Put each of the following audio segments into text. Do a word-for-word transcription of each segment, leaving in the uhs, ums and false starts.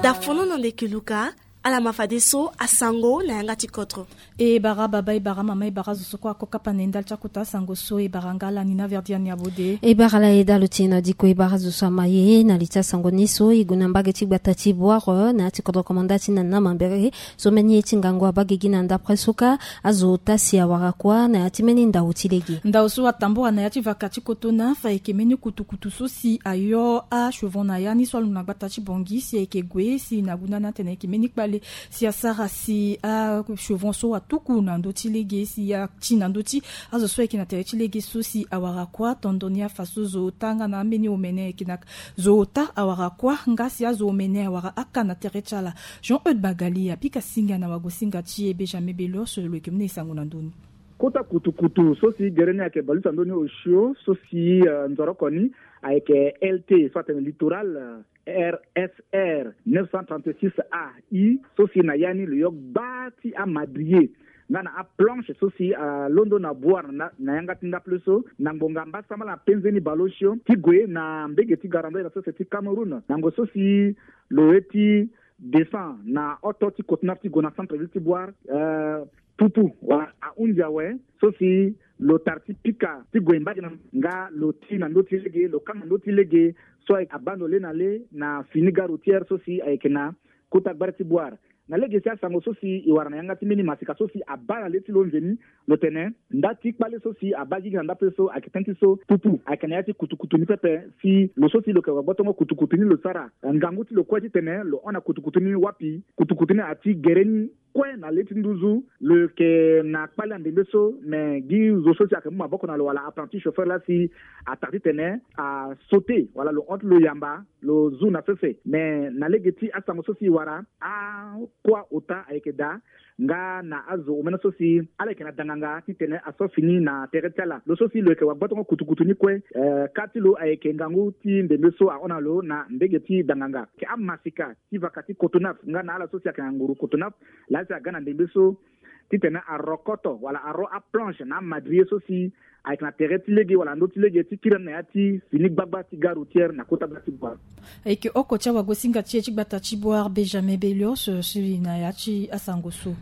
Da fono na ndeke luka. Ala ma fadeso asango na yanga ti kodro. E bara baba, e bara mama, e bara zo so kue ako kapa na e ndali ti akota asango so. E bara nga ala ni na verdi ani abode. E bara ala e dalo ti e na diko. E bara zo so ama ye na li ti asango ni so. E gue na mbage ti gbata ti Bouar na ya ti kodro komanda ti na na mambere so mbeni ye ti ngangu abaa gigi na ndapre so kâ. Azo ota si awara kuâ na ya ti mbeni ndau ti lege. Ndau so atambura na ya ti vaka ti Cotonou, ayeke mbeni kutukutu so si ayo achevron na ya ni so alondo na gbata ti Bangui si ayeke gue si na gunda ni atene ayeke mbeni kpale si asara si achevron so atuku na ndö ti lege si ati na ndö ti azo so ayeke na tere ti lege so si awara kuâ. Tondo ni afa so zo ota nga na ambeni omene ayeke na zo ota awara kuâ nga si azo omene awara aka na tere ti ala. Jean Eude Magali apika singa na wagosinga ti e Benjamin Belor so lo yeke mu na e sango na ndö ni. Kota kutukutu so si gere ni ayeke bale ti na ndö ni osio so si, eh, nzoroko ni ayeke L T so atene Littoral, eh, R S R neuf cent trente-six A I, so si na ya ni lo yo gba ti amadrier nga na aplanche so si, ah, alondo na Bouar na, na yanga ti ndapre so na ngbonga mbasambala na penze ni bale osio ti gue na mbege ti garandoi na sese ti Cameroun na ngonga so si lo ye ti descend na oto ti Cotonou ti gue na centre ville ti Bouar, eh, pupu wala ahunzi awe so si lo tara ti pika ti gue mbage na nga lo ti na ndö ti lege, lo kanga ndö ti lege so abaa ndo le na le na fini gare routière so si ayeke na kota gbare ti Bouar. Na lege ti asango so si e wara na yanga ti mbeni masika so si abaa na le ti lo nzoni, lo tene nda ti kpale so si abaa gigi na ndapre so ayeke tënë ti so pupu ayeke na ya ti kutukutu ni pepe si lo so si lo yeke wagbotongo kutukutu ni lo sara ngangu ti lo kue titene lo hon na kutukutu ni wapi kutukutu ni ati gere ni kue na le ti nduzu. Lo yeke na kpale na ndembe so, me gi zo so si ayeke mu maboko na lo wala apprenti chauffeur laa si atara titene asaute wala lo hon ti lo yamba lo zu na sese. Me na lege ti asango so si e wara, akuâ ota ayeke daa nga na azo omene so si ala yeke na danganga titene aso fini na tere ti ala. Lo so si lo yeke wagbotongo kutukutu ni kue, eh, kâ ti lo ayeke ngangu ti ndembe so ahon na lo na mbege ti danganga. Ayeke amasika ti vaka ti Cotonou nga na ala so si ayeke na nguru Cotonou laa si aga na ndembe so titene arokoto wala aro aplanche na amadrier so si ayeke na tere ti lege wala ndö ti lege ti kiri na ya ti fini gbagba ti gare routière na kota gbagba ti Bouar. Ayeke oko ti awagosinga ti e ti gbata ti Bouar Benjamin Belor so si na ya ti asango so.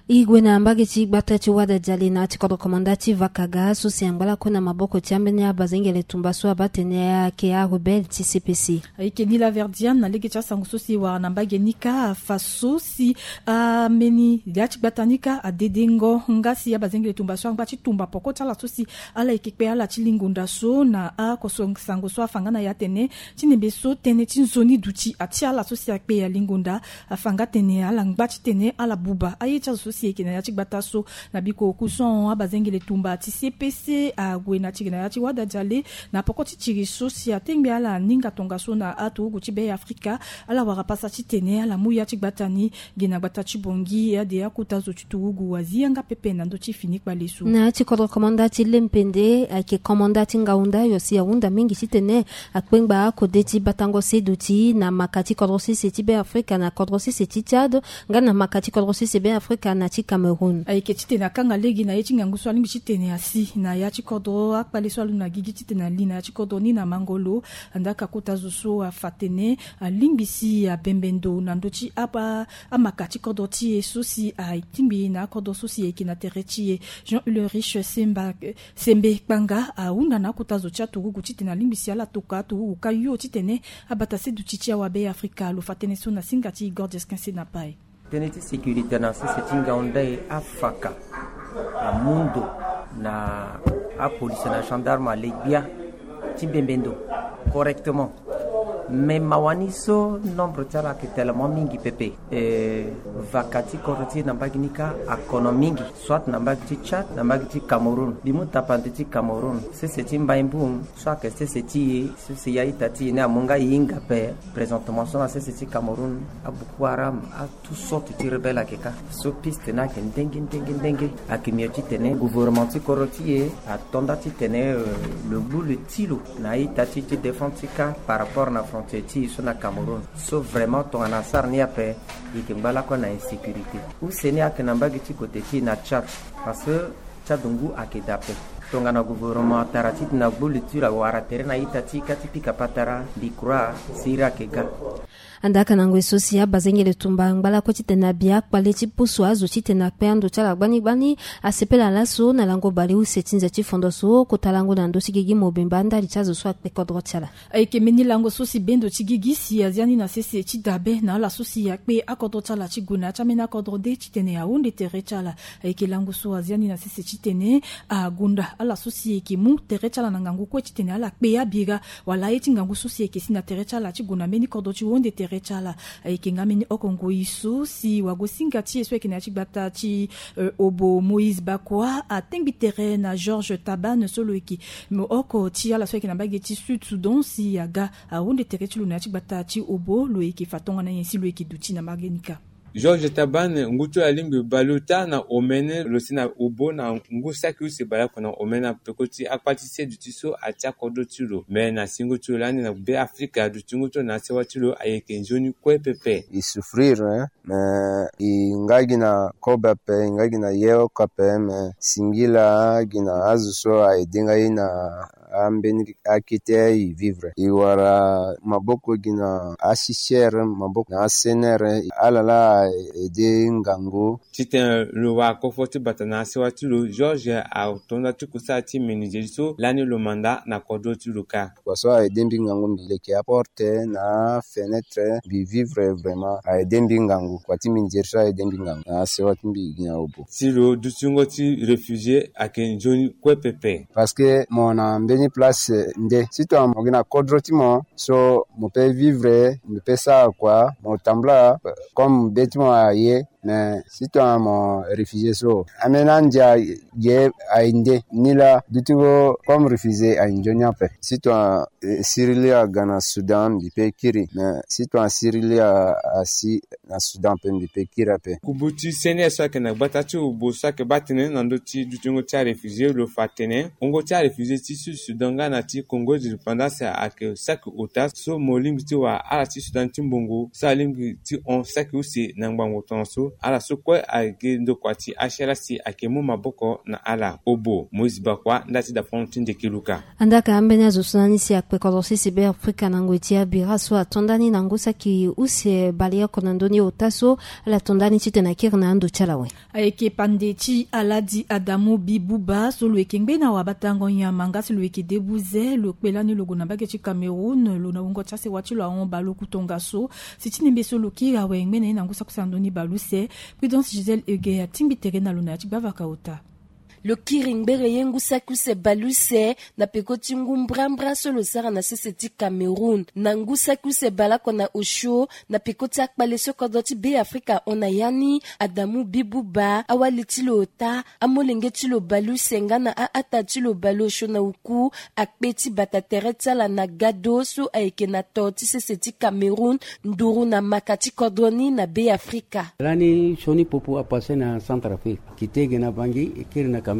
E gue na mbage ti gbata ti Wada Diale na ya ti kodro komanda ti Vakaga so si angba lakue na maboko ti ambeni abazengele tumba so abaa tene ayeke arebelle ti C P C. Ayeke ni laverdiane na lege ti asango so si e wara na mbage ni kâ afa so si ambeni ya ti gbata ni kâ adedengo nga si abazengele tumba so angba ti tumba poko ti ala so si ala yeke kpe ala ti lingonda so na akoso sango so afa nga na e atene ti ndembe so tënë ti nzoni duti atia ala so si akpe alingonda. Afa nga tene ala ngba titene ala buba aye ti azo so si eke na ya ti gbata so. Na biko oku so ahon abazengele tumba ti C P C ague na tiri na ya ti Wada Diale na poko ti tiri so si atengbe ala ninga tongaso na aturugu ti Be Afrika. Ala wara pasa titene ala mu ya ti gbata ni gi na gbata ti Bangui ade akota zo ti turugu azi yanga pepe na ndö ti fini kpale so. Na ya ti kodro komanda ti Lempende ayeke komanda ti ngaunda yo si ahunda mingi titene akpengba akode ti batango se duti na maka ti kodro sese ti Be Afrika na kodro sese ti Tchad nga na maka ti kodro sese Be Afrika na ti Cameroun. Ayeke titene akanga lege na ye ti ngangu so alingbi titene asi na ya ti kodro akpale so alondo na gigi titene ali na ya ti kodro ni na mangolo. Andaka kota zo so afa tene alingbi si abembe ndo na ndö ti apa amaka ti kodro ti e so si atingbi na akodro so si ayeke na tere ti e. Jean Ulrich Semba, Sembe Kpanga ahunda na akota zo ti aturugu titene alingbi si ala toka aturugu ka yo titene abata se duti ti awa Be Afrika. Lo fa tënë so na singa ti Igor Jesquin Senapai. Tënë ti sécurité na sese ti ngaunda e afaka amu ndo na apolice na gendarme ale gbia ti bembe ndo correctement. Mais mawa ni so nombre ti ala ayeke tellement mingi pepe. Eh, vaka ti kodro ti e na mbage ni kâ akono mingi, soit na mbage ti Tchad na mbage ti Cameroun. Mbi mu tapande ti Cameroun, sese ti Mbaïmboum so ayeke sese ti e, sese ya ita ti e ni amu nga e hinga ape. Présentement so na sese ti Cameroun, a Boko Haram, a toutes sortes ti rebelle ayeke kâ. So piste ni ayeke ndenge ndenge ndenge. Ayeke mio titene gouvernement ti kodro ti e ato nda titene, euh, lo gbu lo ti lo na a-ita ti e ti défense ti kâ par rapport na frontière ti e so na Cameroun. So vraiment tongana asara ni ape, e yeke ngba lakue na insécurité. Use ni ayeke na mbage ti kote ti e na Tchad, parce que Tchad ngu ayeke daa ape. Tongana gouvernement atara titene agbu luture awara tere na ita ti ka ti pika patara, mbi croire si iri ayeke ga. Andaka na ngoi so si abazengele tumba angba lakue titene abi akpale ti pusu azo titene akpe ando ti ala gbani gbani. Asepela laso na lango baleuse ti nze ti fondo so kota lango na ndö ti gigi mobimba ndali ti azo so akpe kodro ti ala. Ayeke mbeni lango so si bendo ti gigi si azia ni na sese ti dabe na ala so si akpe akodro ti ala ti gue na ya ti ambeni akodro de titene ahunde tere ti ala. Ayeke lango so azia ni na sese titene agonda ala so si eke mu tere ti ala na ngangu kue titene ala kpe abira wala aye ti ngangu so si eke si na tere ti ala ti gue na mbeni kodro ti hunde tere ti ala. Ayeke nga mbeni oko ngoi so si wagosinga ti e so ayeke na ya ti gbata ti eh, Obo Moïse Bakoua atengbi tere na Georges Tabane so lo yeke oko ti ala so ayeke na mbage ti Sud Soudan si aga ahunde tere ti lo na ya ti gbata ti Obo lo yeke fa tongana nyen si lo yeke duti na mbage ni kâ. Georges Tabane ngu ti lo alingbi baleota na omene lo si na Obo na ngu saki use baleoko na omene na peko ti akpa ti se duti so atia kodro ti lo me na singo ti lo lani na Be Afrika duti ngu ti lo na asewa ti lo ayeke nzoni kue pepe. E souffrir, hein? Mais e nga gi na kobe ape, e nga gi na ye oko ape, mais singila gi na azo so a aidé nga ye na ambeni akete e vivre. E wara maboko gi na asicher, maboko na asener, ala la a aidé ngangu. Titene lo wara kofo ti bata na asewa ti lo, Georges atonda ti kusala ti menuiserie so lani lo manda na kodro ti lo kâ. Kua so a aidé mbi ngangu, mbi leke aporte na afenetre, mbi vivre vraiment. A aidé mbi ngangu, kua ti menuiserie so a aidé mbi ngangu na asewa ti mbi gi na Obo. Si lo dutingo ti réfugié ayeke nzoni kue pepe. Parce que mo na mbeni place nde, si tongana mo gi na kodro ti mo so mo pe vivre, mbi pe sara kua, mo tambula, comme be ti mo aye. Mais si tongana mo réfugié so, ambeni andia ye aye nde, ni la dutingo comme réfugié aye nzoni ape. Si tongana eh, sirili aga na Soudan, mbi pe kiri. Mais si tongana sirili a, asi na Soudan ape, mbi pe kiri ape. Kubu ti sene so ayeke na gbata ti Obo so ayeke baa tënë na ndö ti dutingo ti aréfugié lo fa atene wungo ti aréfugié ti Sud Soudan nga na ti Congo de l'Indépendance ayeke saki ota so mo lingbi ti wara ala ti Soudan ti mbongo so alingbi ti hon saki use na ngbangbo tongaso. Ala so kue ayeke ndokua ti H L A si ayeke mu maboko na ala. Obo, Moïse Bakoua, nda ti dafono ti Ndeke Luka. Andaka ambeni azo so na ni si akpe kodro sese Be Afrika na ngoi ti abira so ato nda ni na ngu saki use baleoko na ndö ni ota so. Ala to nda ni titene akiri na ando ti ala awe. Ayeke pande ti Aladi Adamu Bibuba so lo yeke ngbene awabatango nyama nga si lo yeke debuze, lo kpe lani lo gue na mbage ti Cameroun, lo na wungo ti asewa ti lo ahon baleoku tongaso. Si ti nembe so lo kiri awe ngbene ye na ngu saki use na ndö ni baleuse. Prudence Gisèle Heger atingbi tere na lo na ya ti gbavaka ota. Lo kiri ngbere ye ngu saki use baleuse na peko ti ngu mbrambra so lo sara na sese ti Cameroun. Na ngu saki use baleoko na osio, na peko ti akpale so kodro ti Be Afrika ahon na ya ni, Adamu Bibuba, awali ti lo ota, amolenge ti lo baleuse nga na a-ata ti lo baleosio na oku, akpe ti bata tere ti ala na gado so ayeke na to ti sese ti Cameroun, nduru na maka ti kodro ni na Be Afrika. Lani sioni popo apassé na Centrafrique. Kite ge na Bangui, e kiri na Cameroun.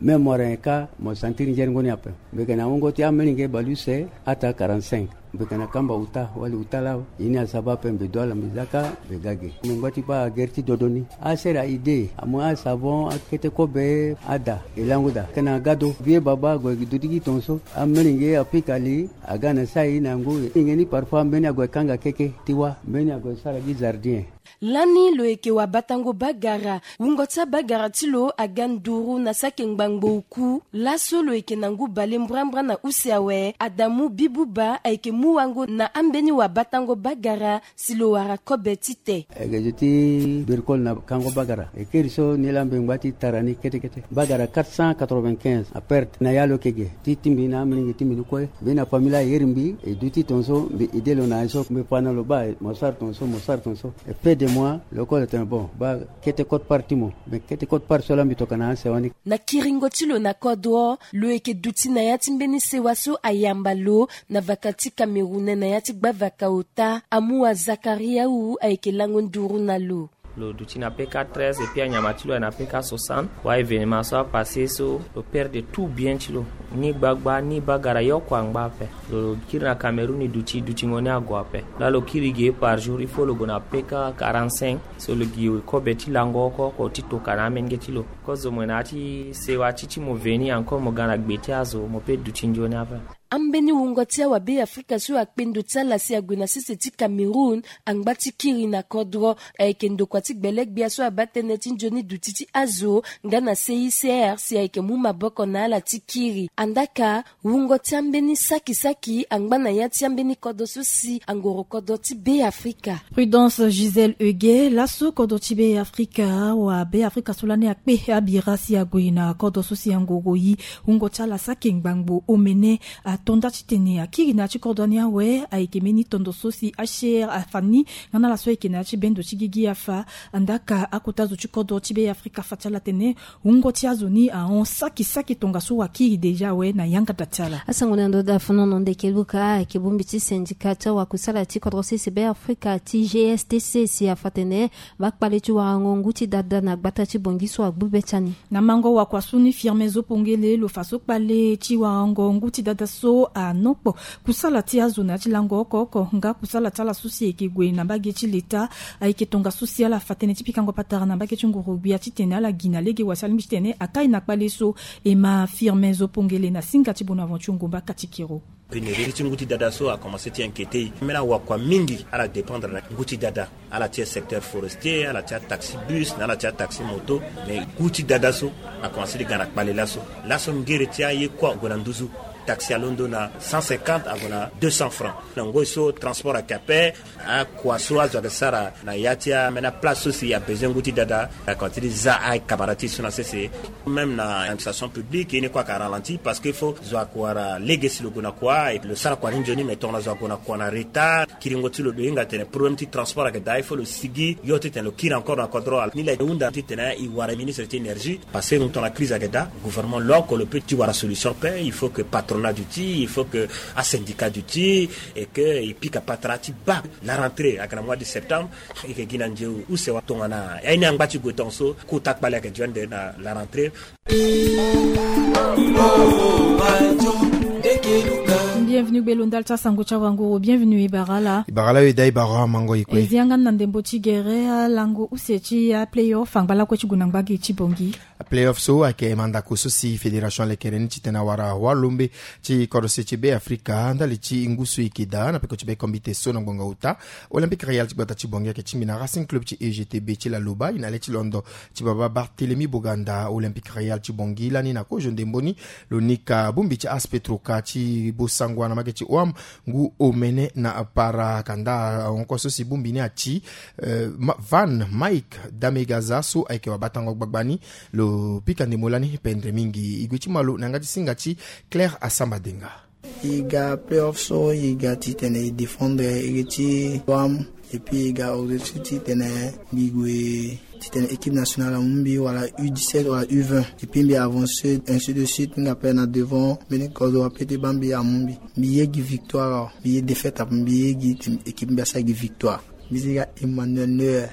Même mo wara nyen kâ, mo sentir nzeringo ni ape. Mbi yeke na wungo ti amolenge baleuse, ata quarante-cinq. Mbi yeke na kamba uta, wali uta laa, ye ni asaba ape, mbi du ala mbi zia kâ, mbi ga ge. Mbi ngba ti baa gere ti dodo ni. Asere aidée, amu asavon, akete kobe, ada, e lango daa. Yeke na gado, vieux baba, ague gi duti gi tongaso. Amolenge apika li, aga na sai na ngu. Molenge ni parfois, mbeni ague kanga keke, ti wâ, mbeni ague sara gi jardin. Lani lo yeke wabatango bagara, wungo ti abagara ti lo aga nduru na saki ngbangbo oku. Laso lo yeke na ngu bale mbrambra na use awe, Adamu Bibuba ayeke mu wango na ambeni wabatango bagara si lo wara kobe ti te. Ayeke zo ti birikole na kango bagara. E kiri so ni laa mbi ngba ti tara ni kete kete. Bagara quatre cent quatre-vingt-quinze aperte na ya lo yeke ge. Ti ti mbi na amolenge ti mbi ni kue. Mbi na famille ayeri mbi, e duti tongaso mbi aidé lo na ye so, mbi fa na lo baa, mo sara tongaso, mo sara tongaso. E fin de mois, lo kue lo tene bon, baa kete quote-part ti mo. Mais kete quote-part so laa mbi tokana asewa ni. Na kiringo ti lo na kodro, lo yeke duti na ya ti mbeni sewa so ayamba lo na vaka ti Cameroun na ya ti gbavaka ota, amu wa Zakariaou ayeke lango nduru na lo. Lo duti na P K treize et puis anyama ti lo aye na P K soixante. Wa événement so apassé so lo perdre tout bien ti lo, ni gbagba ni bagara yoko angba ape. Lo kiri na Cameroun, e duti dutingo ni ague ape. Laa lo kiri ge par jour, il faut lo gue na P K quarante-cinq. So lo gi kobe ti lango oko oko ti toka na amenge ti lo. Kozo mo na ya ti sewa ti ti mo veni encore mo ga na gbe ti azo, mo pe duti nzoni ape. Ambeni wungo ti awabe Afrika so akpe ndo ti ala si ague na sese ti Cameroun angba ti kiri na kodro. Ayeke ndokua ti gbele-gbia so abaa tënë ti nzoni duti ti azo nga na C I C R si ayeke mu maboko na ala ti kiri. Andaka, wungo ti ambeni saki saki angba na ya ti ambeni kodro so si angoro kodro ti Be Afrika. Prudence Gisèle Ege, laso kodro ti Be Afrika, wa Be Afrika so lani akpe abira si ague na kodro so si angoro yi. Wungo ti ala saki ngbangbo omene ato nda titene akiri na ya ti kodro ni awe. Ayeke mbeni tondo so si H C R afa ni nga na ala so ayeke na ya ti bendo ti gigi afa. Andaka, akota zo ti kodro ti Be Afrika afa ti ala atene wungo ti azo ni ahon saki saki tongaso wakiri déjà awe na yanga da ti ala. Asango na ndo da fonono ndeke luka ayeke bongbi ti syndicat ti awakusala ti kodro sese Be Afrika ti G S T C si afa atene bakpale ti warango ngu ti dada na gbata ti Bongi so agbu be ti ani. Na mango wakua so ni Firmin Zopongele lo fa so kpale ti warango ngu ti dada so anokpo kusala ti azo na ya ti lango oko oko nga kusala ti ala so si ayeke gue na mbage ti leta. Ayeke tongaso si ala fa tënë ti pikango patara na mbage ti nguru-gbia titene ala gi na lege wa si alingbi titene akai na kpale so. E ma Firmin Zopongele na singa ti Bonaventure Ngomba Katikiro. Pénurie ti ngu ti dada so akomanse ti inquiéter e. Ambeni awakua mingi ala dépendre na ngu ti dada. Ala ti secteur forestier, ala ti ataxi bus na ala ti ataxi moto. Mais ngu ti dada so akomanse ti ga na kpale laso. Laso ngere ti aye kue ague na nduzu. Taxi alondo na cent cinquante ague na deux cents francs. Na ngoi so transport ayeke ape. Akua so azo ayeke sara na ya ti ambeni aplace so si abezoin ngu ti dada, akomanse ti za acamarade ti e so na sese. Même na administration publique, ye ni kue ayeke aralenti parce que faut zo ayeke wara lege si lo gue na kua et lo sara kua ni nzoni, mais tongana zo ague na kua na retard, kiringo ti lo, lo hinga tene problème ti transport ayeke daa, il faut lo sigi yo titene lo kiri encore na kodro. Ni laa e hunda titene e wara ministre ti énergie. Parce que tongana crise ayeke daa, gouvernement lo oko lo peut ti wara solution ape. Il faut que patronat duti, il faut que asyndicat duti, et que e pika patara ti baa. La rentrée ayeke na mois de septembre. E yeke gi na nzeu use wa tongana ya ni angba ti gue tongaso kota kpale ayeke dio ande na la rentrée. Bienvenue gbe lo ndali ti asango ti awanguru. Bienvenue e bara ala. E bara ala, e daa e bara amango e kue. E zi yanga ni na ndembo ti gere alango use ti aplayoff angba lakue ti gue na ngba gi ti Bongi. Playoff so ayeke mandako so si fédération alekere ni titene awara walombe ti kodro se ti Be Afrika ndali ti ngu so e yeke daa na peko ti be kombite so na ngbonga ota. Olympique Royal ti gbata ti Bongi ayeke tingbi na Racing Club ti E G T B ti Laloba, e na le ti londo ti baba Barthélemy Boganda. Olympique Royal ti Bongi lani na kozo ndembo ni lo nika bongbi ti AS Petroca ti Bossangoa na mbage ti O A M ngu omene na para. Kanda ahon kue so si bongbi ni ati, eh, Ma-, Van Mike Damegaza so ayeke wabatango gbagba ni. Lo pika ndembo lani pendre mingi. E gue ti malo na yanga ti singa ti Claire Asamba Denga. E ga playoff so e ga titene e défendre iri ti O A M, et puis e ga objectif titene mbi gue titene équipe nationale amu mbi, wala U dix-sept wala U vingt, et puis mbi avancer ainsi de suite, mbi ga pe na devant, mbeni kozo ape ti baa mbi amu mbi. Mbi ye gi victoire awe, mbi ye défaite ape, mbi ye gi équipe mbi asara gi victoire. Mbi zi ga Emmanuel Neuer.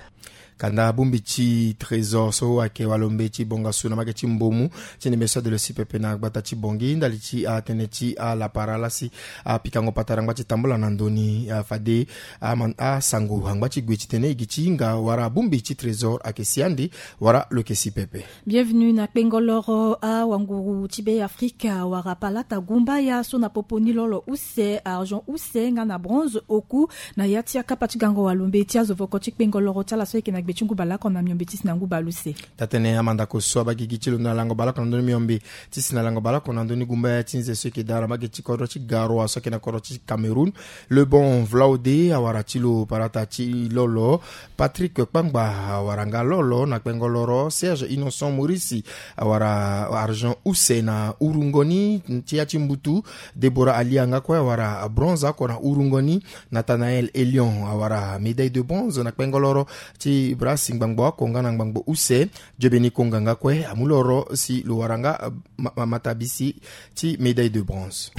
Kanda bongbi ti Trésor so ayeke walombe ti bongasu na mbage ti Mbomu ti ndembe so ade lo si pepe na gbata ti Bongi ndali ti atënë ti alapara laa si apikango patara angba ti tambula na ndö ni, afade aman-, asango angba ti gue titene e gi ti hinga wara bongbi ti Trésor ayeke si ande wala lo yeke si pepe. Bienvenue na kpengo loro awanguru ti Be Afrika wara palata gumbaya so na popo ni lolo use, argent use nga na bronze oku na ya ti akapa ti gango walombe ti azo voko ti kpengo loro ti ala so ayeke na gbe ti ngu baleoko na miombe ti si na ngu baleuse. Taa-tënë amandako so abaa gigi ti lo na lango baleoko na ndö ni miombe ti si na lango baleoko na ndö ni gumbaya ti nze so ayeke daa na mbage ti kodro ti Garoua so ayeke na kodro ti Cameroun. Lebon Vlaude awara ti lo palata ti lolo. Patrick Kpangba awara nga lolo na kpengo loro. Serge Innocent Maurice awara argent use na urungo ni ti ya ti mbutu. Deborah Alia nga kue awara bronze oko na urungo ni. Nathanaël Elion awara médaille de bronze na kpengo loro ti brasi ngbangbo oko nga na ngbangbo use. Jobeni Konga nga kue amu loro si lo wara nga, eh, ma-, ma-, matabisi ti médaille de bronze.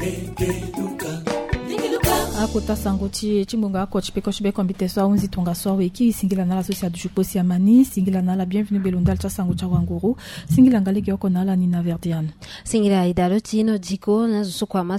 Akota sango ti ti ngonga oko ti peko ti be kombi te so ahunzi tongaso awe kiri singila na ala so si aduti kpo si amani singila na ala bienvenu belo ndali ti asango ti awanguru. Singila nga lege oko na ala ni na verdiane. Singila aida lo ti ino diko na zo so kua ma